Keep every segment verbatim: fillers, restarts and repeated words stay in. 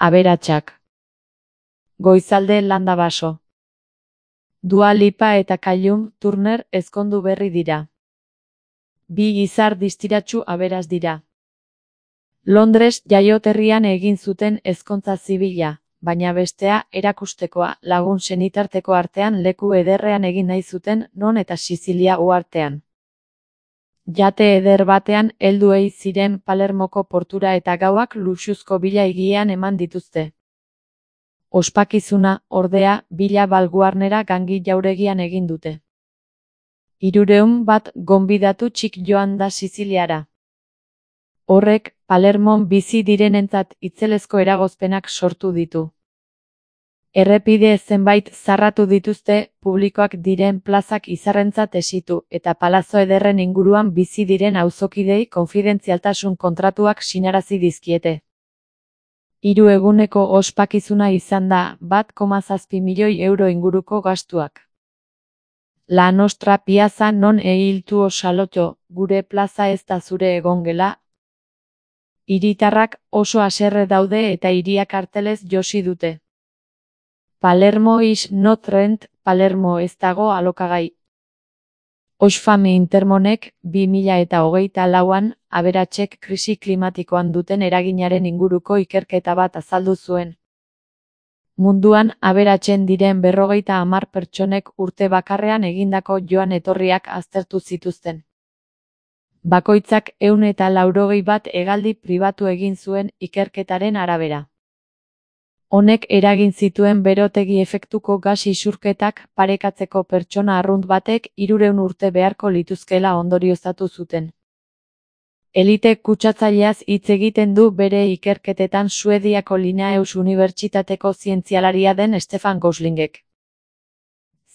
Aberatsak. Goizalde Landa Baso. Dua Lipa eta Callum Turner ezkondu berri dira. Bi gizar distiratsu aberas dira. Londres jaioterrian egin zuten ezkontza zibila, baina bestea erakustekoa lagun senitarteko artean leku ederrean egin nahi zuten non eta Sizilia uhartean. Jate eder batean heldu ei ziren Palermoko portura eta gauak luxuzko bila higian eman dituzte. Ospakizuna, ordea, bila balguarnera gangi jauregian egin dute. Hirurehun bat gonbidatu txik joan da Siziliara. Horrek, Palermon bizi direnentzat itzelezko eragozpenak sortu ditu. Errepide zenbait zarratu dituzte, publikoak diren plazak izarrentzat esitu, eta palazo ederren inguruan bizi diren auzokidei konfidentzialtasun kontratuak sinarazi dizkiete. Hiru eguneko ospakizuna izan da, bat koma zazpi milioi euro inguruko gastuak. La Nostra Piazza non il tuo salotto, gure plaza ez da zure egongela. Hiritarrak oso haserre daude eta hiria kartelez josi dute. Palermo is not rent, Palermo ez dago alokagai. Oxfam Intermonek, bi mila eta hogeita lauan, aberatsek krisi klimatikoan duten eraginaren inguruko ikerketa bat azaldu zuen. Munduan aberatsen diren berrogeita hamar pertsonek urte bakarrean egindako joan etorriak aztertu zituzten. Bakoitzak ehun eta laurogei bat hegaldi pribatu egin zuen ikerketaren arabera. Honek eragin zituen berotegi efektuko gas isurketak parekatzeko pertsona arrunt batek hirurehun urte beharko lituzkela ondorioztatu zuten. Elite kutsatzaileaz hitz egiten du bere ikerketetan Suediako Linnaeus Unibertsitateko zientzialaria den Stefan Goslingek.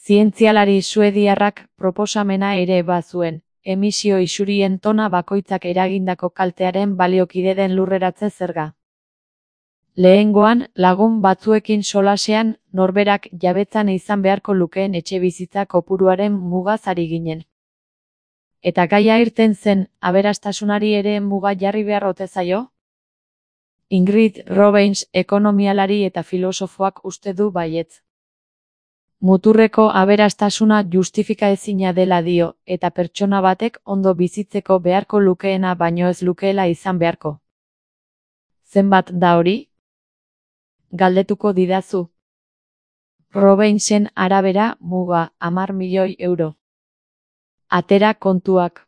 Zientzialari suediarrak proposamena ere bazuen, emisio isurien tona bakoitzak eragindako kaltearen baliokide den lurreratze zerga. Lehengoan, lagun batzuekin solasean, norberak jabetzan izan beharko lukeen etxebizitza kopuruaren mugaz ari ginen. Eta gaia irten zen, aberastasunari ere muga jarri behar ote zaio? Ingrid Robbins, ekonomialari eta filosofoak uste du baietz. Muturreko aberastasuna justifikaezina dela dio, eta pertsona batek ondo bizitzeko beharko lukeena baino ez lukeela izan beharko. Zenbat da hori? Galdetuko didazu. Robbinsen arabera, muga, hamar milioi euro. Atera kontuak.